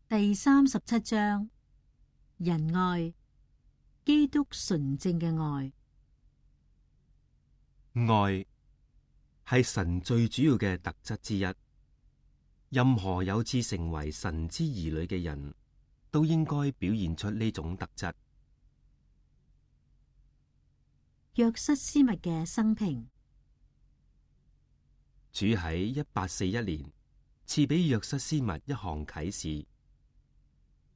第37章，仁愛，基督純正嘅愛。愛係神最主要嘅特質之一。任何有志成為神之兒女嘅人都應該表現出呢種特質。約瑟斯密嘅生平。主喺1841年賜俾約瑟斯密一項啟示，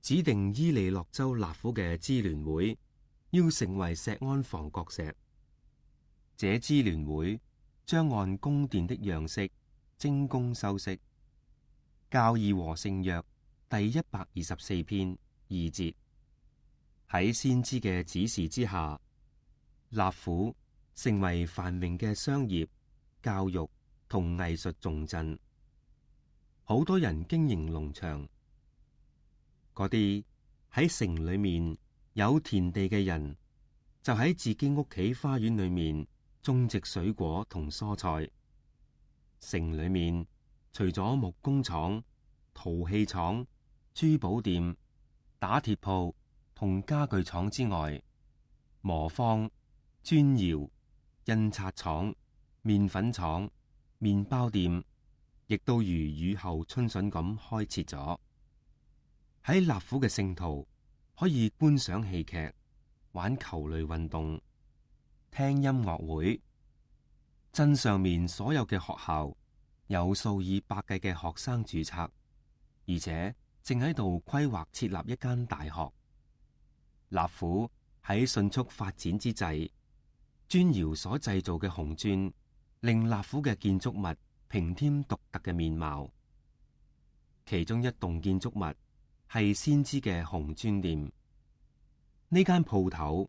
指定伊利諾州納府嘅支聯會要成為錫安房角石。這支聯會將按宮殿的樣式精工修飾。教義和聖約第124篇2節，喺先知嘅指示之下，納府成為繁榮嘅商業、教育同藝術重鎮。好多人經營農場，嗰啲喺城裏面有田地嘅人，就喺自己屋企花園裏面種植水果同蔬菜。城裏面除咗木工廠、陶器廠、珠寶店、打鐵鋪同家具廠之外，磨坊、磚窯、印刷廠、麵粉廠、麵包店，亦都如雨後春筍咁開設咗。喺納府嘅聖徒可以觀賞戲劇、玩球類運動、聽音樂會。鎮上面所有嘅學校有數以百計嘅學生註冊，而且正喺度規劃設立一間大學。納府喺迅速發展之際，磚窯所製造嘅紅磚令納府嘅建築物平添獨特嘅面貌。其中一棟建築物係先知嘅紅磚店。呢間鋪頭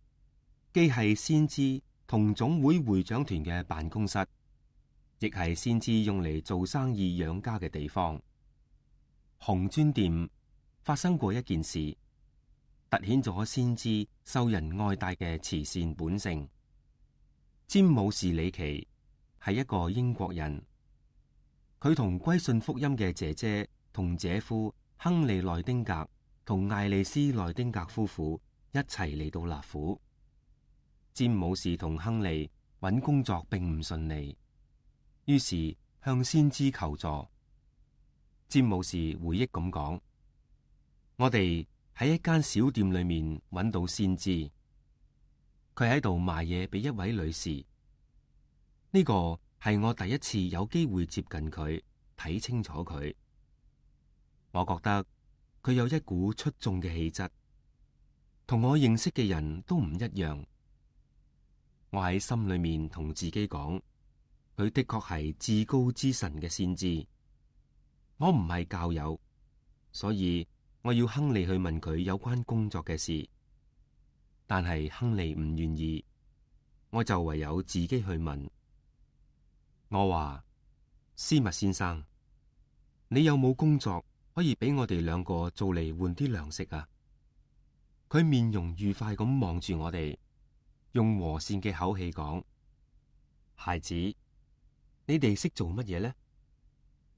既係先知同總會會長團嘅辦公室，亦係先知用嚟做生意養家嘅地方。紅磚店發生過一件事，凸顯咗先知受人愛戴嘅慈善本性。詹姆士里奇係一個英國人，佢同歸信福音嘅姐姐同姐夫亨利內丁格同艾麗絲內丁格夫婦一齊嚟到納府。詹姆士同亨利揾工作並唔順利，於是向先知求助。詹姆士回憶咁講：我哋喺一間小店裏面揾到先知，佢喺度賣嘢俾一位女士。呢個係我第一次有機會接近佢，睇清楚佢。我覺得佢有一股出眾嘅氣質，同我認識嘅人都唔一樣。我喺心裏面同自己講，佢的確係至高之神嘅先知。我唔係教友，所以我要亨利去問佢有關工作嘅事，但係亨利唔願意，我就唯有自己去問。我話：斯密先生，你有冇工作可以俾我哋兩個做嚟換啲糧食啊？佢面容愉快咁望住我哋，用和善嘅口氣講：孩子，你哋識做乜嘢呢？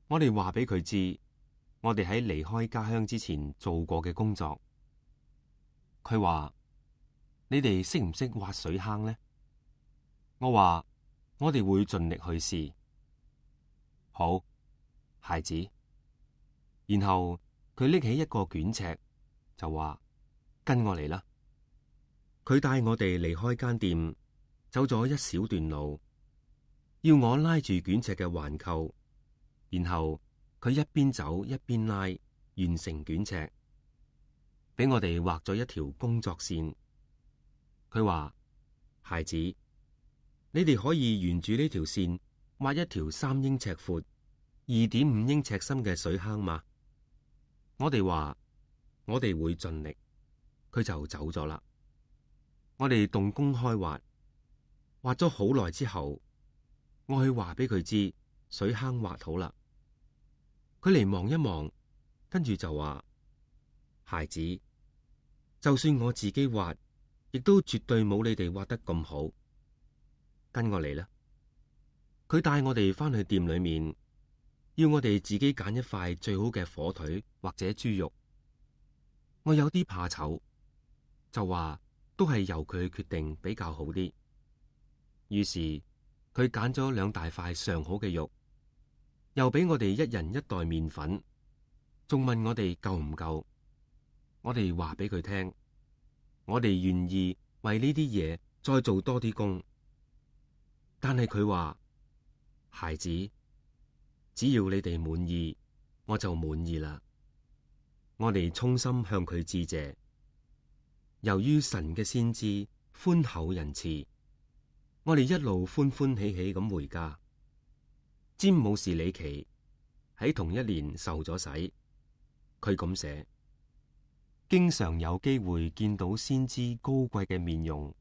我哋話俾佢知，我哋喺離開家鄉之前做過嘅工作。佢話：你哋識唔識挖水坑呢？我話：我哋會盡力去試。好，孩子。然後佢拎起一個捲尺，就話：跟我嚟啦。佢帶我哋離開間店，走咗一小段路，要我拉住捲尺嘅環扣。然後佢一邊走一邊拉，完成捲尺，俾我哋畫咗一條工作線。佢話：孩子，你哋可以沿住呢條線挖一條3英尺闊、2.5英尺深嘅水坑嘛？我哋話我哋會盡力。佢就走咗啦。我哋動工開挖，挖咗好耐之後，我去話俾佢知水坑挖好啦。佢嚟望一望，跟住就話：孩子，就算我自己挖，亦都絕對冇你哋挖得咁好。跟我嚟啦！佢帶我哋翻去店裏面，要我哋自己揀一塊最好嘅火腿或者豬肉，我有啲怕醜，就話都係由佢決定比較好啲。於是佢揀咗2大塊上好嘅肉，又俾我哋一人1袋麵粉，仲問我哋夠唔夠。我哋話俾佢聽，我哋願意為呢啲嘢再做多啲工。但係佢話，孩子，只要你哋滿意，我就滿意啦。我哋衷心向佢致謝。由於神嘅先知寬厚仁慈，我哋一路歡歡喜喜咁回家。詹姆士李奇喺同一年受咗洗，佢咁寫：經常有機會見到先知高貴嘅面容，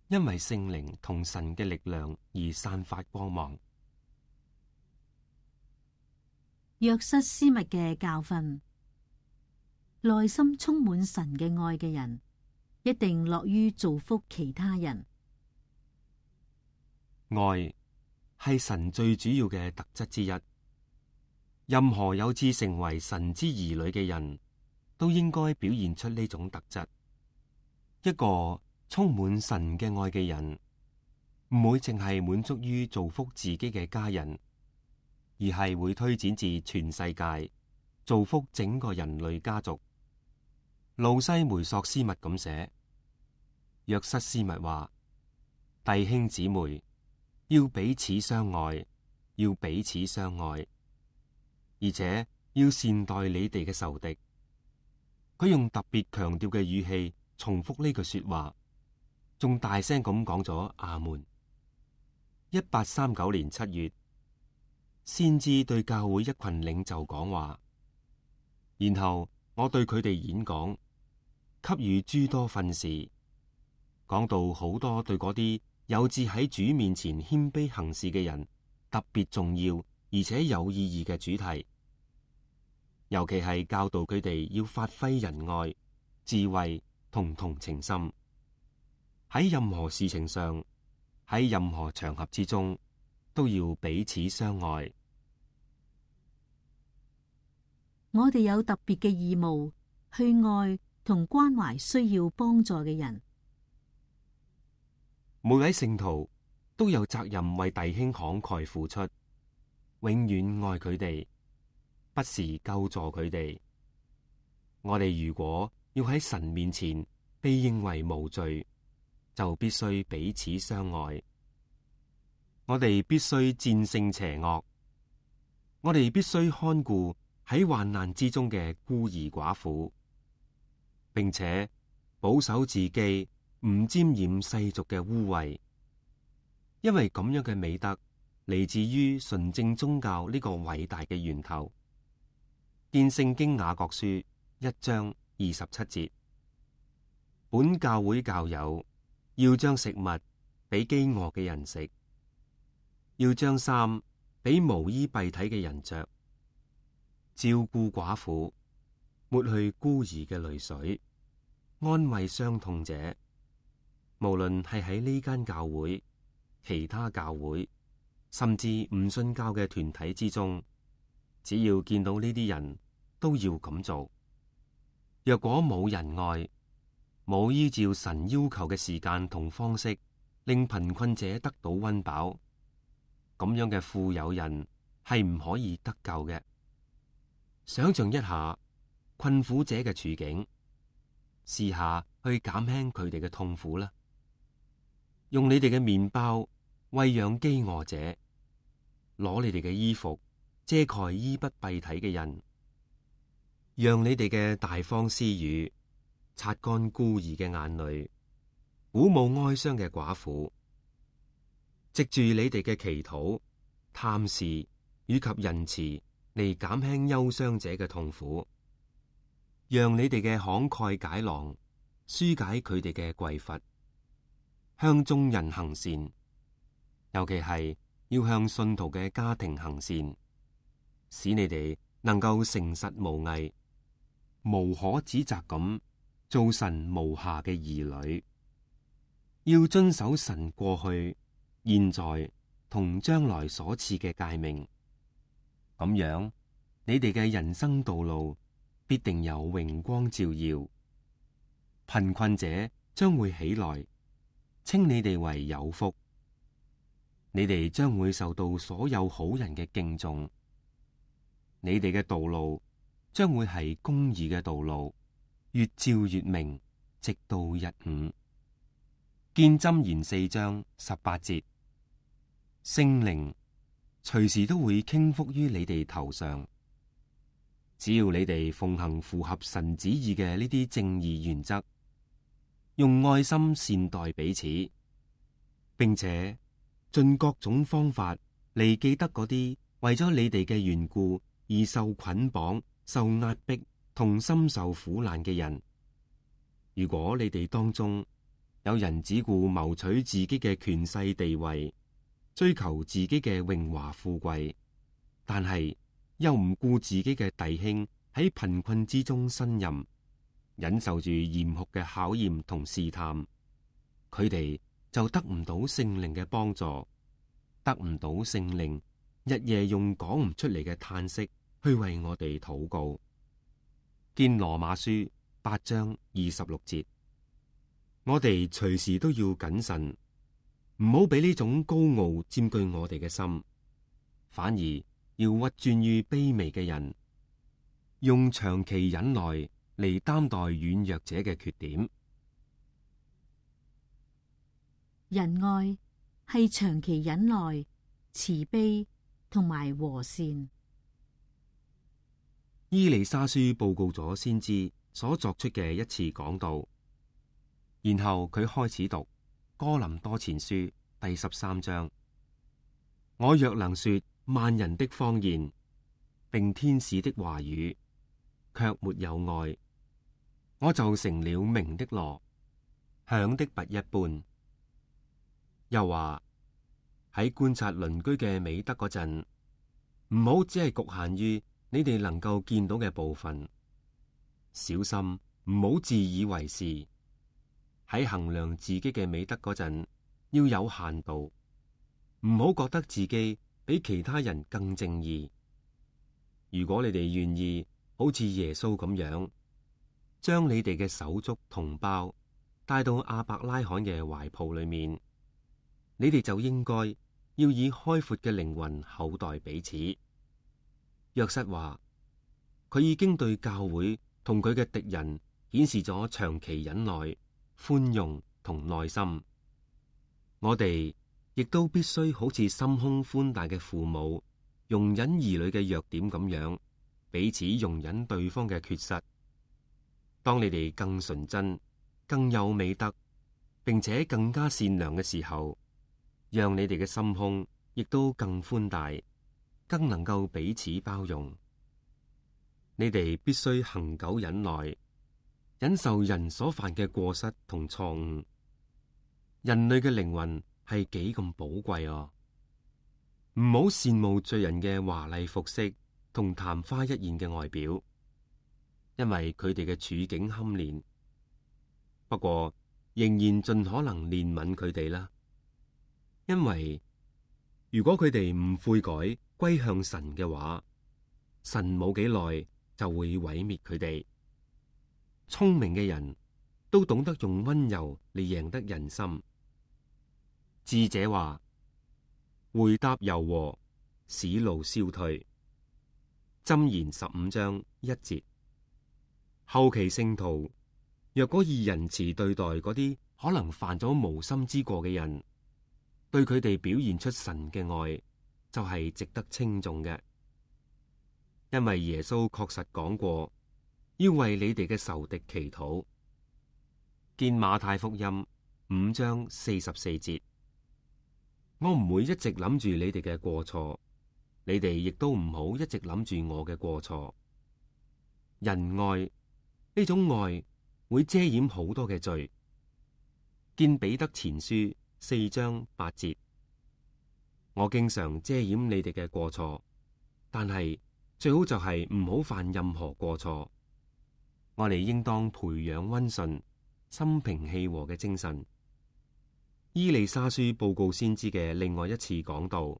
因為聖靈同神嘅力量而散發光芒。約瑟斯密嘅教訓：內心充滿神嘅愛嘅人，一定樂於造福其他人。愛係神最主要嘅特質之一。任何有志成為神之兒女嘅人都應該表現出呢種特質。一個充滿神嘅愛嘅人，唔會淨係滿足於造福自己嘅家人，而係會推展至全世界，造福整個人類家族。路西梅索斯密咁寫，約瑟斯密話：弟兄姊妹要彼此相愛，要彼此相愛，而且要善待你哋嘅仇敵。佢用特別強調嘅語氣重複呢句說話，仲大聲咁講咗阿門。1839年7月，先知對教會一群領袖講話，然後我對佢哋演講，給予諸多訓示，講到好多對嗰啲有志喺主面前謙卑行事嘅人特別重要而且有意義嘅主題，尤其係教導佢哋要發揮仁愛、智慧同同情心，喺任何事情上，喺任何場合之中，都要彼此相愛。我哋有特別嘅義務去愛同關懷需要幫助嘅人。每位聖徒都有責任為弟兄慷慨付出，永遠愛佢哋，不時救助佢哋。我哋如果要喺神面前被認為無罪，就必須彼此相愛。我哋必須戰勝邪惡，我哋必須看顧喺患難之中嘅孤兒寡婦，並且保守自己唔沾染世俗嘅污穢，因為咁樣嘅美德嚟自於純正宗教呢個偉大嘅源頭。見聖經雅各書1章27節，本教會教友要將食物俾飢餓嘅人食，要將衫俾無衣蔽體嘅人着，照顧寡婦，抹去孤兒嘅淚水，安慰傷痛者。無論係喺呢間教會、其他教會，甚至唔信教嘅團體之中，只要見到呢啲人，都要咁做。若果冇仁愛，冇依照神要求嘅時間同方式，令貧困者得到溫飽，咁樣嘅富有人係唔可以得救嘅。想象一下困苦者嘅處境，試下去減輕佢哋嘅痛苦啦。用你哋嘅麵包餵養飢餓者，攞你哋嘅衣服遮蓋衣不蔽體嘅人，讓你哋嘅大方施予擦乾孤兒嘅眼淚，鼓舞哀傷嘅寡婦，藉住你哋嘅祈禱、探視以及仁慈嚟減輕憂傷者嘅痛苦，讓你哋嘅慷慨解囊紓解佢哋嘅匱乏。向眾人行善，尤其係要向信徒嘅家庭行善，使你哋能夠誠實無偽、無可指責咁做神無瑕嘅兒女。要遵守神過去、現在同將來所賜嘅誡命，咁樣你哋嘅人生道路必定有榮光照耀。貧困者將會起來，稱你哋為有福。你哋將會受到所有好人嘅敬重。你哋嘅道路將會係公義嘅道路，越照越明，直到日午。見箴言4章18節。聖靈隨時都會傾覆於你哋頭上，只要你哋奉行符合神旨意嘅呢啲正義原則，用愛心善待彼此，並且盡各種方法嚟記得嗰啲為咗你哋嘅緣故而受捆綁、受壓迫同深受苦難嘅人。如果你哋當中有人只顧謀取自己嘅權勢地位，追求自己嘅榮華富貴，但係又唔顧自己嘅弟兄喺貧困之中呻吟，忍受住嚴酷嘅考驗同試探，佢哋就得唔到聖靈嘅幫助，得唔到聖靈日夜用講唔出嚟嘅嘆息去為我哋禱告。見羅馬書8章26節。我哋隨時都要謹慎，唔好俾呢種高傲佔據我哋嘅心，反而要屈尊於卑微嘅人，用長期忍耐嚟擔待軟弱者嘅缺點。仁愛係長期忍耐、慈悲同埋和善。伊麗莎書報告咗先知所作出嘅一次講道，然後佢開始讀哥林多前書第13章。我若能說萬人的方言，並天使的話語，卻沒有愛，我就成了鳴的鑼，響的鈸一般。又話喺觀察鄰居嘅美德嗰陣，唔好只係局限於你哋能夠見到嘅部分，小心唔好自以為是。喺衡量自己嘅美德嗰陣，要有限度，唔好覺得自己比其他人更正義。如果你哋願意好似耶穌咁樣，將你哋嘅手足同胞帶到亞伯拉罕嘅懷抱裏面，你哋就應該要以開闊嘅靈魂厚待彼此。約瑟話，佢已經對教會同佢嘅敵人顯示咗長期忍耐、寬容同耐心。我哋亦都必須好似心胸寬大嘅父母，容忍兒女嘅弱點咁樣，彼此容忍對方嘅缺失。當你哋更純真、更有美德，並且更加善良嘅時候，讓你哋嘅心胸亦都更寬大，更能夠彼此包容。你哋必須恆久忍耐，忍受人所犯嘅過失同錯誤。人類嘅靈魂係幾咁寶貴啊！唔好羨慕罪人嘅華麗服飾同曇花一現嘅外表，因為佢哋嘅處境堪憐。不過仍然盡可能憐憫佢哋啦，因為如果佢哋唔悔改歸向神嘅話，神冇幾耐就會毀滅佢哋。聰明嘅人都懂得用溫柔嚟贏得人心。智者話：回答柔和，使怒消退。箴言15章1節。後期聖徒若果以仁慈對待嗰啲可能犯咗無心之過嘅人，對佢哋表現出神嘅愛，就係值得稱頌嘅。因為耶穌確實講過，要為你哋嘅仇敵祈禱。見馬太福音5章44節。我唔會一直諗住你哋嘅過錯，你哋亦都唔好一直諗住我嘅過錯。仁愛呢種愛會遮掩好多嘅罪。見彼得前書4章8節。我經常遮掩你哋嘅過錯，但係最好就係唔好犯任何過錯。我哋應當培養溫順、心平氣和嘅精神。伊麗莎書報告先知嘅另外一次講道，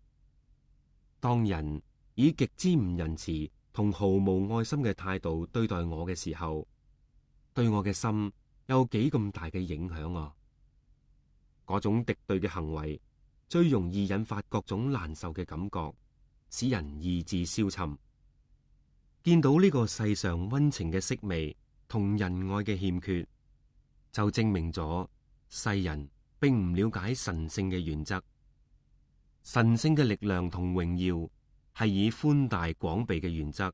當人以極之唔仁慈同毫無愛心嘅態度對待我嘅時候，對我嘅心有幾咁大嘅影響啊！嗰種敵對嘅行為最容易引發各種難受嘅感覺，使人意志消沉。見到呢個世上溫情嘅式微同仁愛嘅欠缺，就證明咗世人並唔了解神聖嘅原則。神聖嘅力量同榮耀係以寬大廣庇嘅原則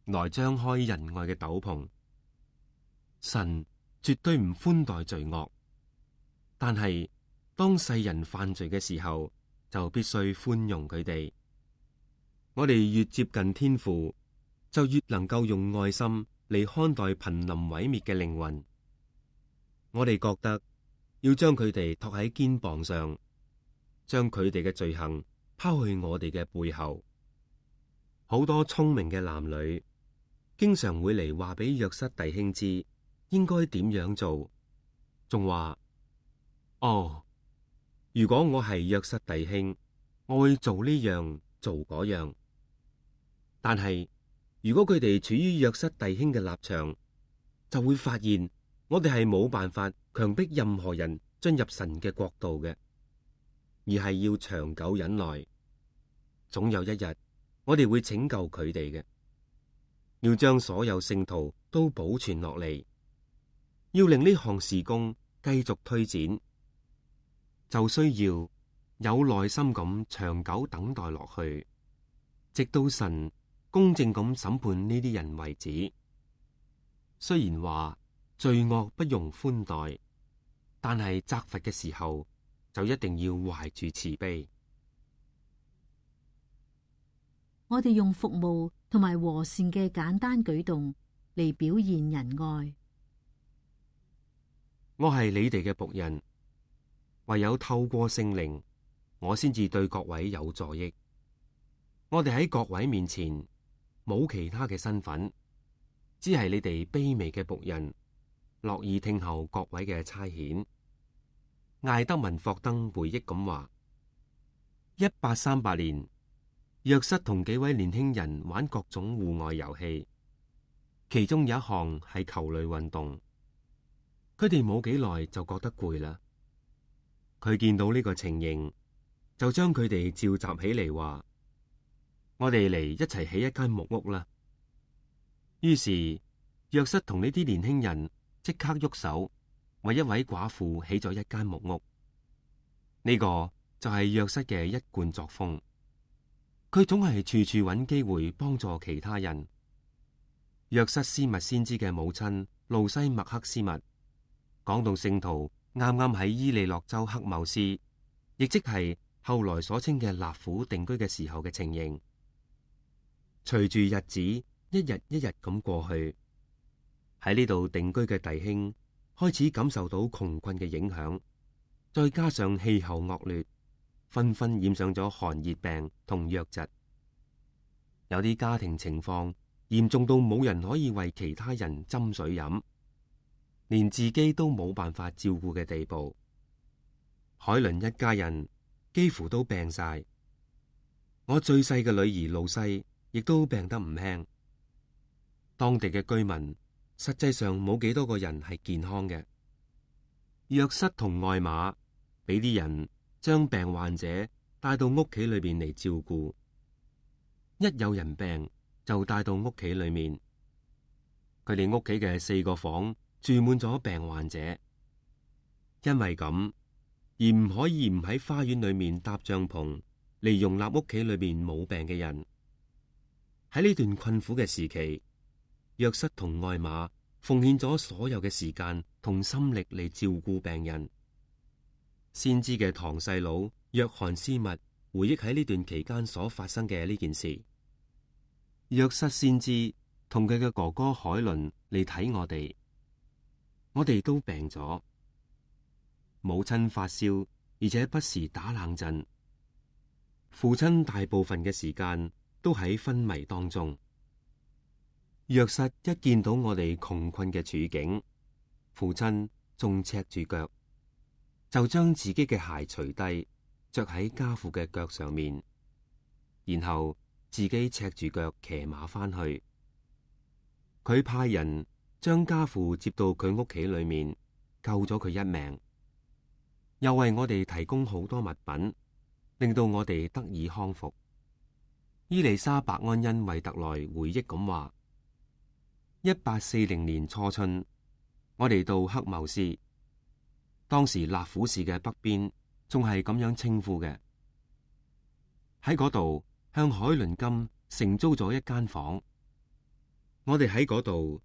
來張開仁愛嘅斗篷。神絕對唔寬待罪惡，但係當世人犯罪嘅時候，就必須寬容佢哋。我哋越接近天父，就越能夠用愛心嚟看待瀕臨毀滅嘅靈魂。我哋覺得要將佢哋托喺肩膀上，將佢哋嘅罪行拋去我哋嘅背後。好多聰明嘅男女經常會嚟話俾約瑟弟兄知應該點樣做，仲話：哦，如果我係約瑟弟兄，我會做呢樣做嗰樣。但係如果佢哋處於約瑟弟兄嘅立場，就會發現我哋係冇辦法強迫任何人進入神嘅國度嘅，而係要長久忍耐。總有一日，我哋會拯救佢哋嘅。要將所有聖徒都保存落嚟，要令呢項事工繼續推展，就需要有耐心咁長久等待落去，直到神公正咁審判呢啲人為止。雖然話罪惡不容寬待，但係責罰嘅時候就一定要懷住慈悲。我哋用服務同埋和善嘅簡單舉動嚟表現仁愛。我係你哋嘅僕人，唯有透過聖靈，我先至對各位有助益。我哋喺各位面前冇其他嘅身份，只係你哋卑微嘅僕人，樂意聽候各位嘅差遣。艾德文霍登回憶咁話：1838年，約瑟同幾位年輕人玩各種戶外遊戲，其中有一項係球類運動。佢哋冇幾耐就覺得攰啦。佢見到呢個情形，就將佢哋召集起嚟，話：我哋嚟一齊起一間木屋啦。於是約瑟同呢啲年輕人即刻喐手，為一位寡婦起咗一間木屋。呢個就係約瑟嘅一貫作風。佢總係處處揾機會幫助其他人。約瑟斯密先知嘅母親路西麥克斯密講到聖徒啱啱喺伊利諾州克謬斯，亦即係後來所稱嘅納府定居嘅時候嘅情形。隨住日子一日一日咁過去，喺呢度定居嘅弟兄開始感受到窮困嘅影響，再加上氣候惡劣，紛紛染上咗寒熱病同瘧疾。有啲家庭情況嚴重到冇人可以為其他人斟水飲，連自己都冇辦法照顧嘅地步。海倫一家人幾乎都病晒，我最細嘅女兒露西亦都病得唔輕。當地嘅居民實際上冇幾多個人係健康嘅。約瑟同艾瑪俾啲人將病患者帶到屋企裏邊嚟照顧，一有人病就帶到屋企裏面。佢哋屋企嘅4個房住滿咗病患者，因為咁而唔可以唔喺花園裏面搭帳篷嚟容納屋企裏面冇病嘅人。喺呢段困苦嘅時期，約瑟同艾瑪奉獻咗所有嘅時間同心力嚟照顧病人。先知嘅堂細佬約翰斯密回憶喺呢段期間所發生嘅呢件事。約瑟先知同佢嘅哥哥海倫嚟睇我哋都病咗。母親發燒，而且不時打冷震。父親大部分嘅時間都喺昏迷當中。約瑟一見到我哋窮困嘅處境，父親仲赤住腳，就將自己嘅鞋除低，着喺家父嘅腳上面，然後自己赤住腳騎馬返去。佢派人將家父接到佢屋企裏面，救咗佢一命，又為我哋提供好多物品，令到我哋得以康復。伊麗莎白安恩惠特萊回憶咁話：1840年初春，我哋到黑茂斯，當時納府市嘅北邊仲係咁樣稱呼嘅。喺嗰度向海倫金承租咗一間房，我哋喺嗰度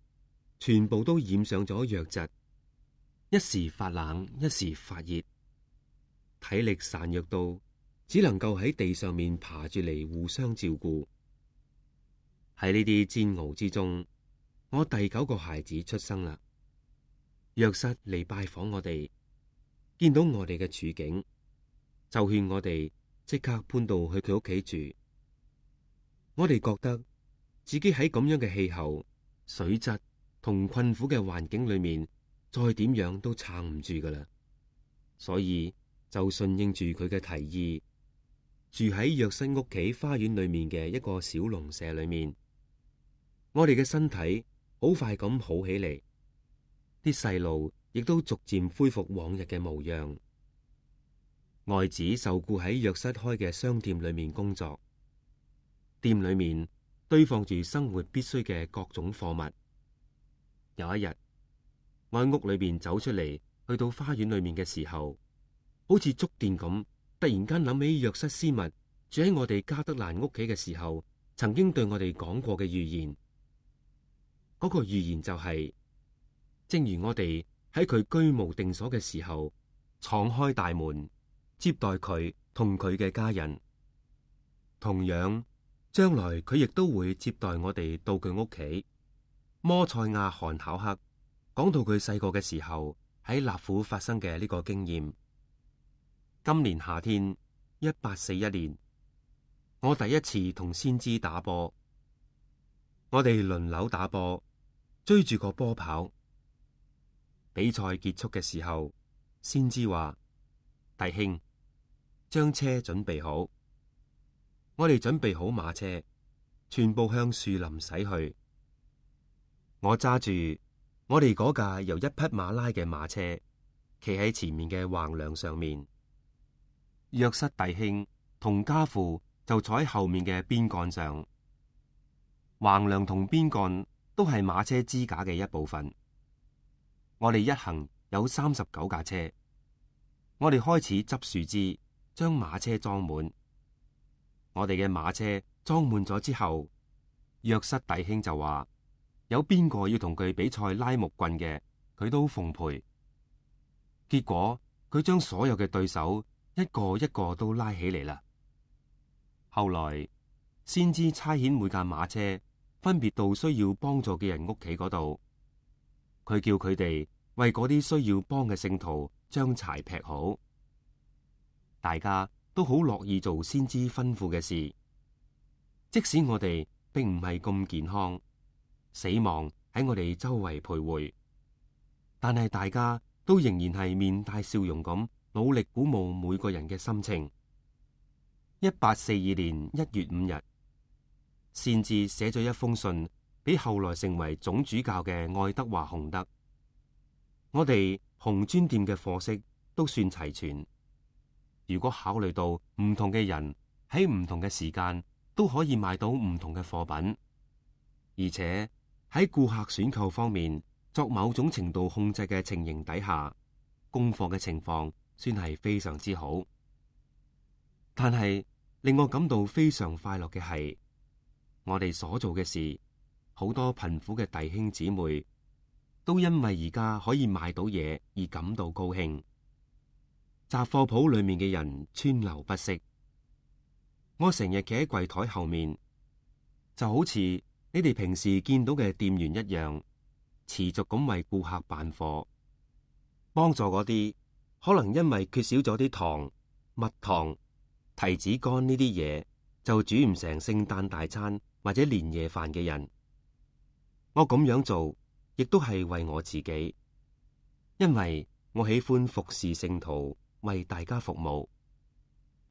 全部都染上咗瘧疾，一時發冷，一時發熱，體力孱弱到只能夠喺地上面爬住嚟互相照顧。喺呢啲煎熬之中，我第9個孩子出生啦。約瑟嚟拜訪我哋，見到我哋嘅處境，就勸我哋即刻搬到去佢屋企住。我哋覺得自己喺咁樣嘅氣候、水質同困苦嘅環境裏面，再點樣都撐唔住噶啦，所以就順應住佢嘅提議，住喺約瑟屋企花園裏面嘅一個小農舍裏面。我哋嘅身體好快咁好起嚟，啲細路亦都逐漸恢復往日嘅模樣。外子受雇喺約瑟開嘅商店裏面工作，店裏面堆放住生活必須嘅各種貨物。有一日，我喺屋裏邊走出嚟，去到花園裏面嘅時候，好似觸電咁，突然間諗起約瑟斯密住喺我哋加德蘭屋企嘅時候，曾經對我哋講過嘅預言。嗰個預言就係，正如我哋喺佢居無定所嘅時候，敞開大門接待佢同佢嘅家人，同樣將來佢亦都會接待我哋到佢屋企。摩塞亞韓考克講到佢細個嘅時候喺納府發生嘅呢個經驗。今年夏天1841年，我第一次同先知打波，我哋輪流打波，追住個波跑。比賽結束嘅時候，先知話：弟兄，將車準備好。我哋準備好馬車，全部向樹林駛去。我揸住我哋嗰架由一匹馬拉嘅馬車，企喺前面嘅橫梁上面。約瑟弟兄同家父就坐喺後面嘅邊幹上。橫梁同邊幹都係馬車支架嘅一部分。我哋一行有39架車。我哋開始執樹枝，將馬車裝滿。我哋嘅馬車裝滿咗之後，約瑟弟兄就話：有邊個要同佢比賽拉木棍嘅，佢都奉陪。結果佢將所有嘅對手一個一個都拉起嚟啦。後來先知差遣每架馬車分別到需要幫助嘅人屋企嗰度，佢叫佢哋為嗰啲需要幫嘅聖徒將柴劈好。大家都好樂意做先知吩咐嘅事，即使我哋並唔係咁健康，死亡喺我哋周圍徘徊，但係大家都仍然係面帶笑容咁努力鼓舞每個人嘅心情。1842年1月5日，先至寫咗一封信俾後來成為總主教嘅愛德華洪德。我哋紅磚店嘅貨色都算齊全。如果考慮到唔同嘅人喺唔同嘅時間都可以買到唔同嘅貨品，而且喺顧客選購方面作某種程度控制嘅情形底下，供貨嘅情況算係非常之好。但係令我感到非常快樂嘅係，我哋所做嘅事，好多貧苦嘅弟兄姊妹都因為而家可以買到嘢而感到高興。雜貨鋪裏面嘅人川流不息，我成日企喺櫃台後面，就好似你哋平時見到嘅店員一樣，持續咁為顧客辦貨，幫助嗰啲可能因為缺少咗啲糖、蜜糖、提子乾呢啲嘢，就煮唔成聖誕大餐或者年夜飯嘅人。我咁樣做，亦都係為我自己，因為我喜歡服侍聖徒，為大家服務，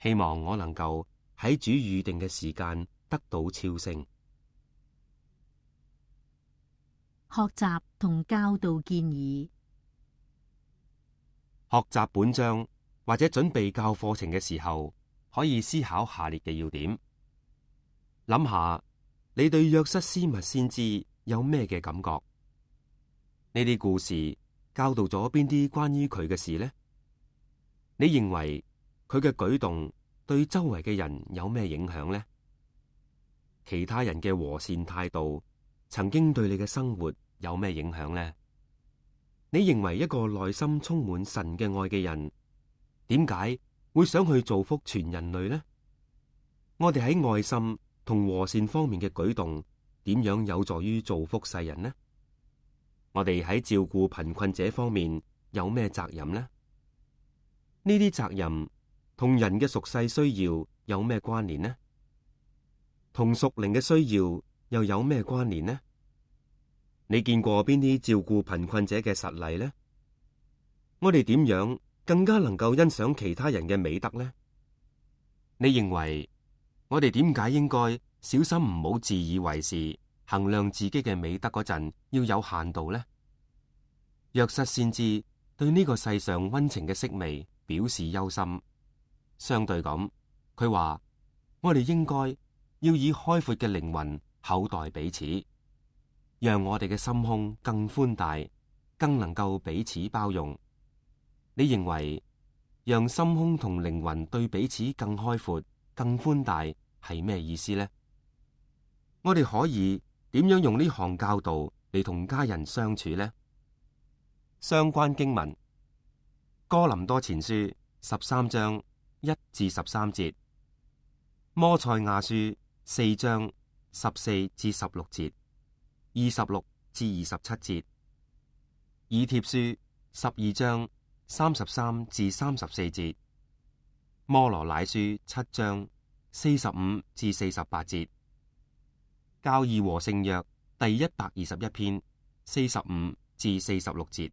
希望我能夠喺主預定嘅時間得到超升。學習同教導建議。學習本章或者準備教課程嘅時候，可以思考下列嘅要點。諗下你對約瑟斯密先知有咩嘅感覺？呢啲故事教導咗邊啲關於佢嘅事呢？你認為佢嘅舉動對周圍嘅人有咩影響呢？其他人嘅和善態度曾經對你嘅生活有咩影響呢？你認為一個內心充滿神嘅愛嘅人，點解會想去造福全人類呢？我哋喺愛心同和善方面嘅舉動，點樣有助於造福世人呢？我哋喺照顧貧困者方面有咩責任呢？呢啲責任同人嘅屬世需要有咩關聯呢？同屬靈嘅需要又有咩關聯呢？你見過邊啲照顧貧困者嘅實例呢？我哋點樣更加能夠欣賞其他人嘅美德呢？你認為我哋點解應該小心唔好自以為是，衡量自己嘅美德嗰陣要有限度呢？約瑟先知對呢個世上溫情嘅色味表示憂心，相對咁，佢話我哋應該要以開闊嘅靈魂厚待彼此，讓我哋嘅心胸更寬大，更能夠彼此包容。你認為讓心胸同靈魂對彼此更開闊、更寬大係咩意思呢？我哋可以點樣用呢項教導嚟同家人相處呢？相關經文：哥林多前書13章1至13節，摩賽亞書4章14至16節。26至27節，以帖書12章33至34節，摩羅乃書7章45至48節，教義和聖約第121篇45至46節。